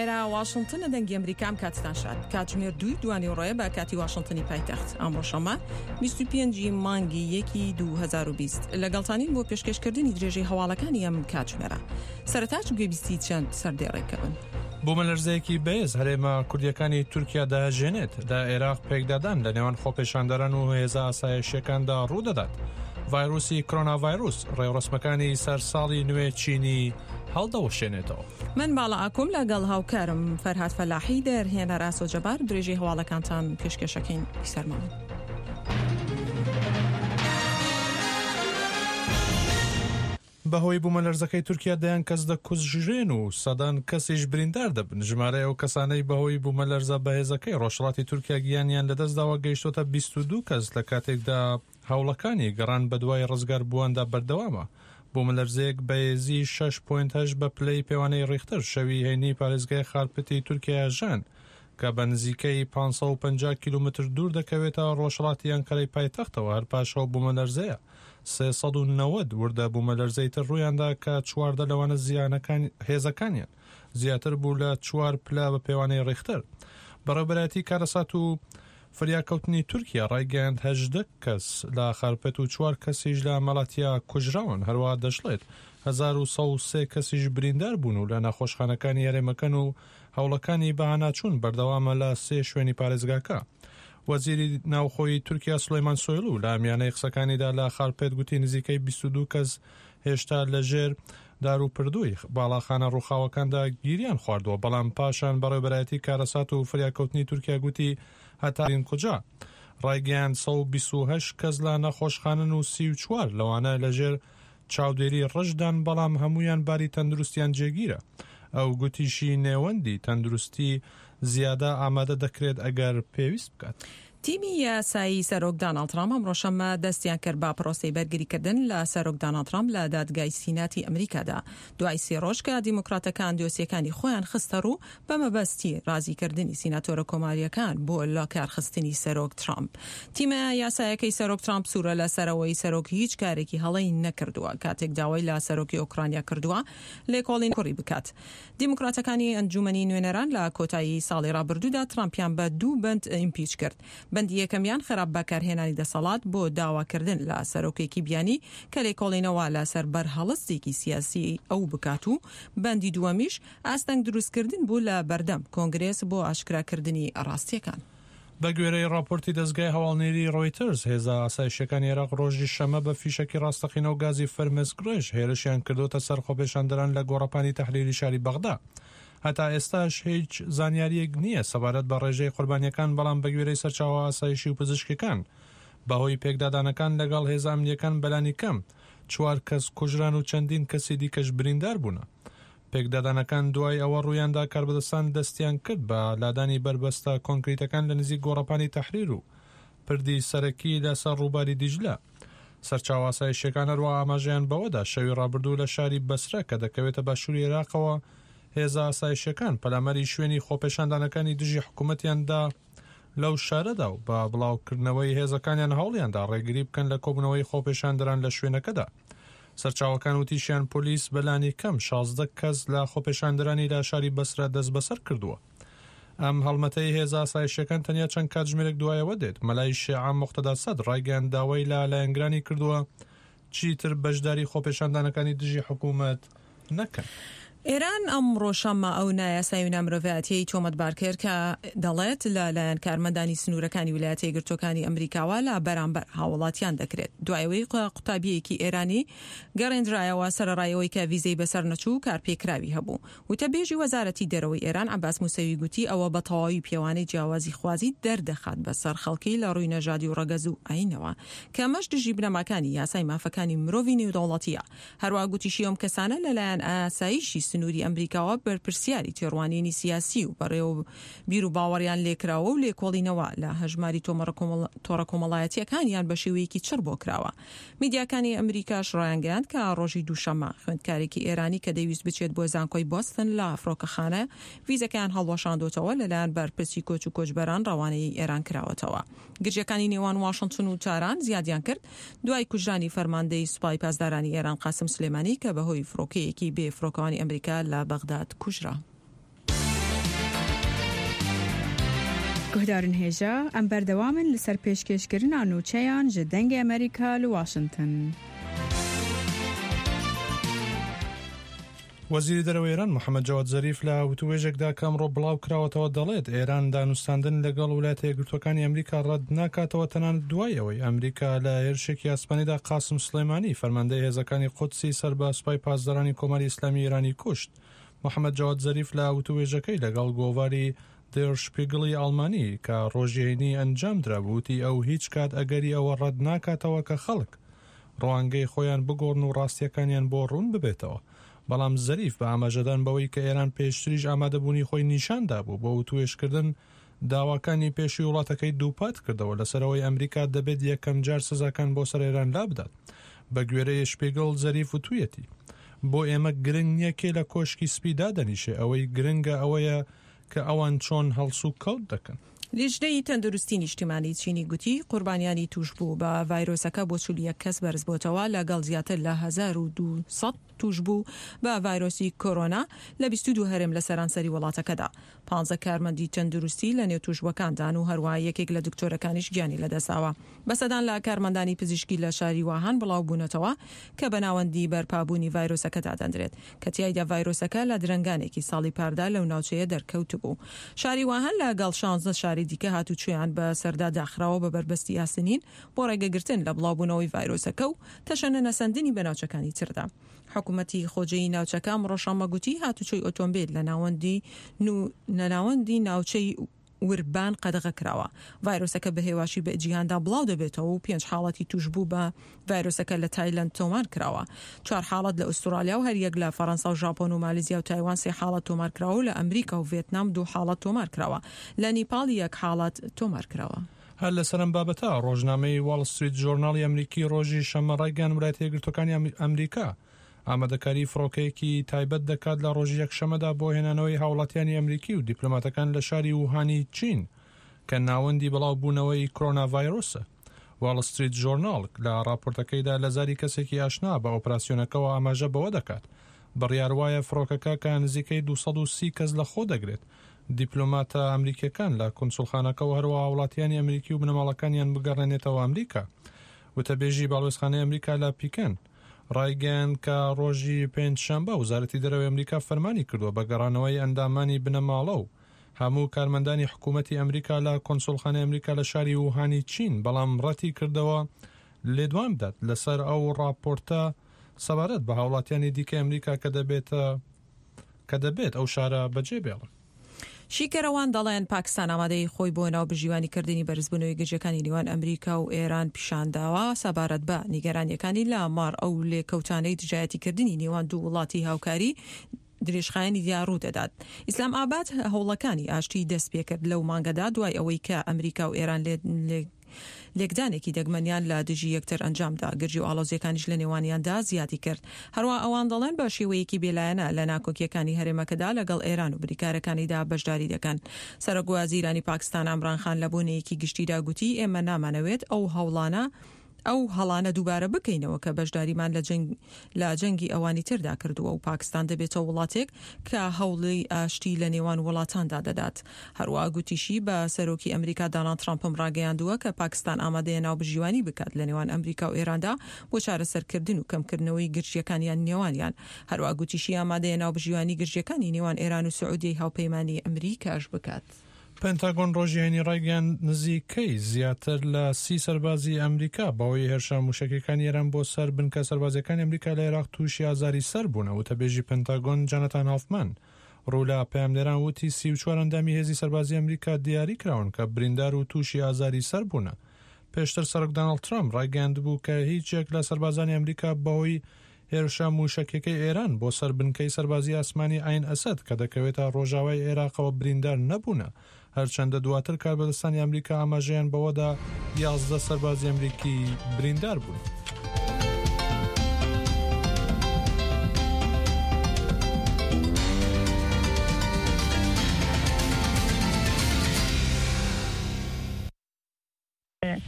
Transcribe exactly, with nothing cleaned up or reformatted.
ئێرە واشنتنە، دەنگی ئەمریکا. ئەم کاتتان شاد. کاتژمێر دووی دوانیوەڕۆیە بە کاتی واشنتنی پایتەخت. ئەمڕۆ شەممە بیست و پێنج ی مانگی یەکی دوو هەزار و بیست لەگەڵتانین بۆ پێشکێشکردنی درێژەی هەواڵەکانی ئەم کاتژمێرە. سەرەتاش گوێبیستی چەند سەردێڕێکە بن. بوومەلەرزەیەکی بەهێز هەرێمە کوردیەکانی تورکیا دەهەژێنێت. لە عێراق پێکدادان لە نێوان خۆپێشاندەران و هێزە ئاسایشیەکاندا ڕوودەدات. ڤایرۆسی کۆرۆنا ڤایرۆس ڕێوڕەسمەکانی سەر ساڵی نوێ چینی هەڵدەوەشێنێتەوە. من باڵا ئاکۆم لەگەڵ هاوکارم فەرهاد فەلاحی دەرهێنەر ئاسۆ جەبار درێژەی هەواڵەکانتان پێشکێشەکەین. سەرماون. بەهۆی بوومەلەرزەکەی تورکیا دەیان کەس دەکوژرێن و سەدان کەسیش بریندار دەبن. ژمارەی ئەو کەسانەی بەهۆی بوومەلەرزە بەهێزەکەی ڕۆژهەڵاتی تورکیا گیانیان لەدەستداوە گەیشتۆتە بیست و دوو کەس، لە کاتێکدا هەوڵەکانی گەڕان بەدوای ڕزگاربوواندا بەردەوامە. بوومەلەرزەیەک بەهێزی شەش پۆینت هەشت بە پلەی پێوانەی ڕیختەر شەوی هەینی پارێزگای خارپتی تورکیا ژان کە بە نزیکەی پێنج سەد و پەنجا کیلۆمەتر دوور دەکەوێتە ڕۆژهەڵاتی ئەنقەرەی پایتەختەوە. هەر پاش ئەو بوومەلەرزەیە سێ سەد و نەوەد وردە بوومەلەرزەی تر ڕوویاندا کە چواردە لەوانە زیانەکان هێزەکانیان زیاتر بوو لە چوار پلە بە پێوانەی ڕیختەر. بەڕێوەبەرایەتی کارەسات و فریاکەوتنی تورکیا ڕایگەیاند هەژدە کەس لە خارپێت و چوار کەسیش لە مەڵاتیا کوژراون. هەروەها دەشڵێت هەزار و سەد و سێ کەسیش بریندار بوون و لە نەخۆشخانەکانی هەرێمەکەن و هەوڵەکانی بەهاناچوون بەردەوامە لە سێ شوێنی پارێزگاکە. وەزیری ناوخۆی تورکیا سولەیمان سۆیڵو لە میانەی قسەکانیدا لە خارپێت گوتی نزیکەی بیست و دوو کەس هێشتا لەژێر دار و پردووی باڵاخانە ڕووخاوەکاندا گیریان خواردووە، بەڵام پاشان بەڕێوەبەرایەتی کارەسات و فریاکەوتنی تورکیا گوتی هەتا کجا ڕایگەیاند سەد و بیست و هەشت کەس لە نەخۆشخانەن و سی و چوار لەوانە لەژێر چاودێری ڕژدان، بەڵام هەمویان باری تەندروستیان جێگیرە. ئەو گوتیشی نێوەندی تەندروستی زیادە ئامادە دەکرێت ئەگەر پێویست بکات. تیمی یاسایی سەرۆک داناڵد ترامپ ئەمڕۆ شەممە دەستیان کرد بە پرۆسەی بەرگریکردن لە سەرۆک داناڵد ترامپ لە دادگای سیناتی ئەمریکادا دوای سێ ڕۆژ کە دیموکراتەکان دۆسیەکانی خۆیان خستە ڕوو بە مەبەستی ڕازیکردنی سیناتۆرە کۆماریەکان بۆ لەکارخستنی سەرۆک ترامپ. تیمە یاسایەکەی سەرۆک ترامپ سوورە لە سەرەوەی سەرۆک هیچ کارێکی هەڵەی نەکردووە کاتێک داوای لە سەرۆکی ئۆکرانیا کردووە لێکۆڵین کوڕی بکات. دیموکراتەکانی ئەنجومەنی نوێنەران لە کۆتایی ساڵی ڕابردوودا ترامپیان بە دوو بەند impeach کرد. بەندی یەکەمیان خراپ بەکارهێنانی دەسەڵات بۆ داواکردن لە سەرۆکێکی بیانی کە لێکۆڵینەوە لەسەر بەرهەڵستێکی سیاسی ئەو بکات و بەندی دووەمیش ئاستەنگ دروستکردن بوو لە بەردەم کۆنگرێس بۆ ئاشکراکردنی ڕاستیەکان. بە گوێرەی ڕاپۆرتی دەزگای هەواڵنێری ڕۆیتەرز، هێزە ئاسایشیەکانی عێراق ڕۆژی شەممە بە فیشەکی ڕاستەقینە و گازی فەرمێسکڕێژ هێرشیان کردوتە سەر خۆپێشاندەران لە گۆڕەپانی تەحریری شاری بەغدا. هەتا ئێستاش هیچ زانیاریەک نییە سەبارەت بە ڕێژەی قوربانیەکان، بەڵام بەگوێرەی سەرچاوە ئاسایشی و پزیشکەکان بەهۆی پێکدادانەکان لەگەڵ هێزە ئەمنیەکان بەلانی کەم چوار کەس کوژران و چەندین کەسی دیکەش بریندار بوونە. پێکدادانەکان دوای ئەوە ڕوویاندا کاربەدەستان دەستیان کرد بە لادانی بەربەستە کۆنکریتەکان لە نزیک گۆڕەپانی تەحریر و پردی سەرەکی لەسەر ڕووباری دیجلە. سەرچاوە ئاسایشیەکان هەروەها ئاماژەیان بەوەدا شەوی ڕابردوو لە شاری بەسرە کە دەکەوێتە باشووری عێراقەوە هێزە ئاسایشیەکان پەلاماری شوێنی خۆپێشاندانەکانی دژی حکوومەتیاندا لەو شارەدا و بە بڵاوکردنەوەی هێزەکانیان هەوڵیاندا ڕێگری بکەن لە کۆبوونەوەی خۆپێشاندەران لە شوێنەکەدا. سەرچاوەکان وتیشیان پۆلیس بەلانی کەم شازدە کەس لە خۆپێشاندەرانی لە شاری بەسرە دەستبەسەر کردووە. ئەم هەڵمەتەی هێزە ئاسایشیەکان تەنیا چەند کاتژمێرێک دوایەوە دێت. مەلای شیعە موقتەدا سەدر ڕایگەیاند داوای لە لایەنگرانی کردووە چیتر بەشداری خۆپێشاندانەکانی دژی حکوومەت نەکەن. ئێران ئەمڕۆ شەممە ئەو نایاسایی و نامرۆڤایەتیەی تۆمەتبار کرد کە دەڵێت لە لایەن کارمەندانی سنوورەکانی ویلایەتە یەکگرتووەکانی ئەمریکاوە لە بەرامبەر هاوڵاتیان دەکرێت. دوای ئەوەی قوتابیەکی ئێرانی گەڕێندرایەوە سەرەڕای ئەوەی کە ڤیزەی بەسەر نەچوو و کارپێکراوی هەبوو. وتەبێژی وەزارەتی دەرەوەی ئێران عەباس موسەوی گوتی ئەوە بە تەواوی پێوانەی جیاوازی خوازی دەردەخات بەسەر خەڵکی لە ڕووی نەژادی و ڕەگەز و ئایینەوە کە ئەمەش دژی بنەماکانی یاسای مافەکانی مرۆڤی نێودەوڵەتیە. هەروەها گوتیشی ئەم کەسانە لەلایەن ئاسایشی سنووری ئەمریکاوە بەرپرسیاری تێڕوانینی سیاسی و بەڕێوە بیر و باوەڕیان لێکراوە و لێکۆڵینەوە لە هەژماری تۆڕە کۆمەڵایەتیەکانیان بە شێوەیەکی چڕ بۆ کراوە. میدیاکانی ئەمریکاش ڕایانگەیاند کە ڕۆژی دووشەممە خوێندکارێکی ئێرانی کە دەیویست بچێت بۆ زانکۆی بۆستن لە فڕۆکەخانە ڤیزەکەیان هەڵوەشاندۆتەوە لەلایەن بەرپرسی کۆچ و کۆچبەران ڕەوانەی ئێران کراوەتەوە. گرژیەکانی نێوان واشنتن و تاران زیادیان کرد دوای کوژرانی فەرماندەی سوپای پاسدارانی ئێران قاسم سلێمانی کە بەهۆی فڕۆکەیەکی بێ فڕۆکەوانی ئەمریکا لە بەغداد کوژرا. Guhdarên hêja em berdewam in li ser pêşkêşkirina nûçeyan ji Dengê Amerîka li Washington. وەزیری دەرەوەی ئێران محەممەد جەواد زەریف لە وتوێژێکدا کە ئەمڕۆ بڵاو کراوەتەوە دەڵێت ئێران دانوستاندن لەگەڵ وڵاتە یەکگرتووەکانی ئەمریکا ڕەت ناکاتەوە تەنانەت دوای ئەوەی ئەمریکا لە هێرشێکی ئاسمانیدا قاسم سڵێمانی فەرماندەی هێزەکانی قودسی سەر بە سوپای پاسدارانی کۆماری ئیسلامی ئێرانی کوشت. محەممەد جەواد زەریف لە وتوێژەکەی لەگەڵ گۆڤاری دێر شپیگڵی ئەڵمانی کە ڕۆژی هەینی ئەنجام درابوو وتی ئەو هیچ کات ئەگەری ئەوە ڕەت ناکاتەوە کە خەڵک ڕوانگەی خۆیان بگۆڕن و ڕاستیەکانیان بۆ ڕوون ببێتەوە. بەڵام زەریف بە ئاماژەدان بەوەی کە ئێران پێشتریش ئامادەبوونی خۆی نیشان دابوو بۆ وتوێژکردن داواکانی پێشووی وڵاتەکەی دووپات کردەوە لەسەرەوەی ئەمریکا دەبێت یەکەم جار سزاکان بۆ سەر ئێران لابدات. بە گوێرەی شپیگڵ زەریف وتوویەتی بۆ ئێمە گرنگ نییە کێ لە کۆشکی سپی دادەنیشێ، ئەوەی گرنگە ئەوەیە کە ئەوان چۆن هەڵسوکەوت دەکەن. لیژنەی تەندروستی نیشتیمانی چینی گوتی قوربانیانی تووشبوو بە ڤایرۆسەکە بۆ چل و یەک کەس بەرزبۆتەوە لەگەڵ زیاتر لە هەزار و دوو سەد تووشبوو بە ڤایرۆسی کۆرۆنا لە بیست و دوو هەرێم لە سەرانسەری وڵاتەکەدا. پانزە کارمەندی تەندروستی لە نێو تووشبووەکاندان و هەروەها یەکێک لە دکتۆرەکانیش گیانی لەدەستداوە. بە سەدان لە کارمەندانی پزیشکی لە شاری واهان بڵاو بوونەتەوە کە بە ناوەندی بەرپابوونی ڤایرۆسەکە دادەندرێت کە تیایدا ڤایرۆسەکە لە درەنگانێکی ساڵی پاردا لەو ناوچەیە دەرکەوتبوو. شاری واهان لەگەڵ شانزە شاری دیکە هاتوچۆیان بە سەردا داخراوە بە بەربەستی ئاسنین بۆ ڕێگەگرتن لە بڵاوبوونەوەی ڤایرۆسەکە و تەشەنە نەسەندنی بە ناوچەکانی تردا. حکوومەتی خۆجێی ناوچەکە ئەمڕۆ شەممە گوتی هاتوچۆی ئۆتۆمبیل لە ناوەندی لە ناوەندی ناوچەی وربان قەدەغە کراوە. ڤایرۆسەکە بە هێواشی بە جیهاندا بڵاو دەبێتەوە و پێنج حاڵەتی تووشبوو بە ڤایرۆسەکە لە تایلەند تۆمار کراوە. چوار حاڵەت لە ئوسترالیا و هەریەک لە فەرەنسا و ژاپۆن و مالیزیا و تایوان سێ حاڵەت تۆمار کراوە و لە ئەمریکا و ڤێتنام دوو حاڵەت تۆمار کراوە. لە نیپاڵ یەک حاڵەت تۆمار کراوە. هەر لەسەر ئەم بابەتە ڕۆژنامەی واڵ ستریت ژۆرناڵی ئەمریکی ڕۆژی شەممە ڕایگەیاند وڵاتە یەکگرتووەکانی ئەمریکا ئامادەکاری فڕۆکەیەکی تایبەت دەکات لە ڕۆژی یەکشەممەدا بۆ هێنانەوەی هاوڵاتیانی ئەمریکی و دیپلۆماتەکان لە شاری ووهانی چین کە ناوەندی بڵاوبوونەوەی کۆرۆناڤایرۆسە. واڵ ستریت ژۆرناڵ لە راپۆرتەکەیدا لە زاری کەسێکی ئاشنا بە ئۆپراسیۆنەکەوە ئاماژە بەوە دەکات بڕیار وایە فڕۆکەکە کە نزیکەی دوو سەد و سی کەس لە خۆ دەگرێت دیپلۆماتە ئەمریکیەکان لە کونسوڵخانەکەوە هەروەها هاوڵاتیانی ئەمریکی و بنەماڵەکانیان بگەڕێنێتەوە ئەمریکا. وتەبێژی باڵوێزخانەی ئەمریکا لە پیکەن ڕایگەیاند کە ڕۆژی پێنجشەنبە وەزارەتی دەرەوەی ئەمریکا فەرمانی کردووە بە گەڕانەوەی ئەندامانی بنەماڵە و هەموو کارمەندانی حکوومەتی ئەمریکا لە کۆنسوڵخانەی ئەمریکا لە شاری ووهانی چین، بەڵام ڕەتی کردەوە لێدوان بدات لەسەر ئەو راپۆرتە سەبارەت بە هاوڵاتیانی دیکەی ئەمریکا کە دەبێت کە دەبێت ئەو شارە بەجێ بێڵن. شیکەرەوان دەڵێن پاکستان ئامادەی خۆی بۆ ناوبژیوانیکردنی بەرزبوونەوەی گرژیەکانی نێوان ئەمریکا و ئێران پیشانداوە سەبارەت بە نیگەرانیەکانی لە مار ئەو لێکەوتانەی دژایەتیکردنی نێوان دوو وڵاتی هاوکاری درێژخایەنی دیار ڕوو دەدات. ئیسلام ئاباد هەوڵەکانی ئاشتی دەست پێکرد لەو مانگەدا دوای ئەوەی کە ئەمریکا و ئێران لێکدانێکی دەگمەنیان لە دژی یەکتر ئەنجامدا، گرژی و ئاڵۆزیەکانیش لە نێوانیاندا زیادی کرد. هەروە ئەوان دەڵێن بە شێوەیەکی بێلایەنە لە ناکۆکیەکانی هەرێمەکەدا لەگەڵ ئێران و بریکارەکانیدا بەشداری دەکەن. سەرۆک وەزیرانی پاکستان عەمران خان لە بۆنەیەکی گشتیدا گوتی ئێمە نامانەوێت ئەو هەوڵانە ئەو هەڵانە دووبارە بکەینەوە کە بەشداریمان لە جەنگ لە جەنگی ئەوانی تردا کردووە و پاکستان دەبێتە وڵاتێک کە هەوڵی ئاشتی لە نێوان وڵاتاندا دەدات. هەروەها گوتیشی بە سەرۆکی ئەمریکا داناڵد ترامپم ڕاگەیاندووە کە پاکستان ئامادەیە ناوبژیوانی بکات لە نێوان ئەمریکا و ئێراندا بۆ چارەسەرکردن و کەمکردنەوەی گرژیەکانیان نێوانیان. هەروەها گوتیشی ئامادەیە ناوبژیوانی گرژیەکانی نێوان ئێران و سعودیەی هاوپەیمانی ئەمریکاش بکات. پنتاگۆن ڕۆژی هەینی ڕایگەیاند نزیکەی زیاتر لە سی سەربازی ئەمریکا بەهۆی هێرشە موشەکیەکانی ئێران بۆ سەر بنکە سەربازیەکانی ئەمریکا لە عێراق تووشی ئازاری سەر بوونە. وتەبێژی پنتاگۆن جانەتان هافمان ڕوو لە پەیامنێران وتی سی و چوار ئەندامی هێزی سەربازی ئەمریکا دیاری کراون کە بریندار و تووشی ئازاری سەر بوونە. پێشتر سەرۆک داناڵد ترامپ ڕایگەیاندبوو کە هیچ یەک لە سەربازانی ئەمریکا بەهۆی هێرشە موشەکیەکەی ئێران بۆ سەر بنکەی سەربازی ئاسمانی عین ئەسەد کە دەکەوێتە ڕۆژاوای عێراقەوە بریندار نەبوونە. هەرچەندە دواتر کاربەدەستانی ئەمریکا ئاماژەیان بەوەدا یازدە سەربازی ئەمریکی بریندار بوون.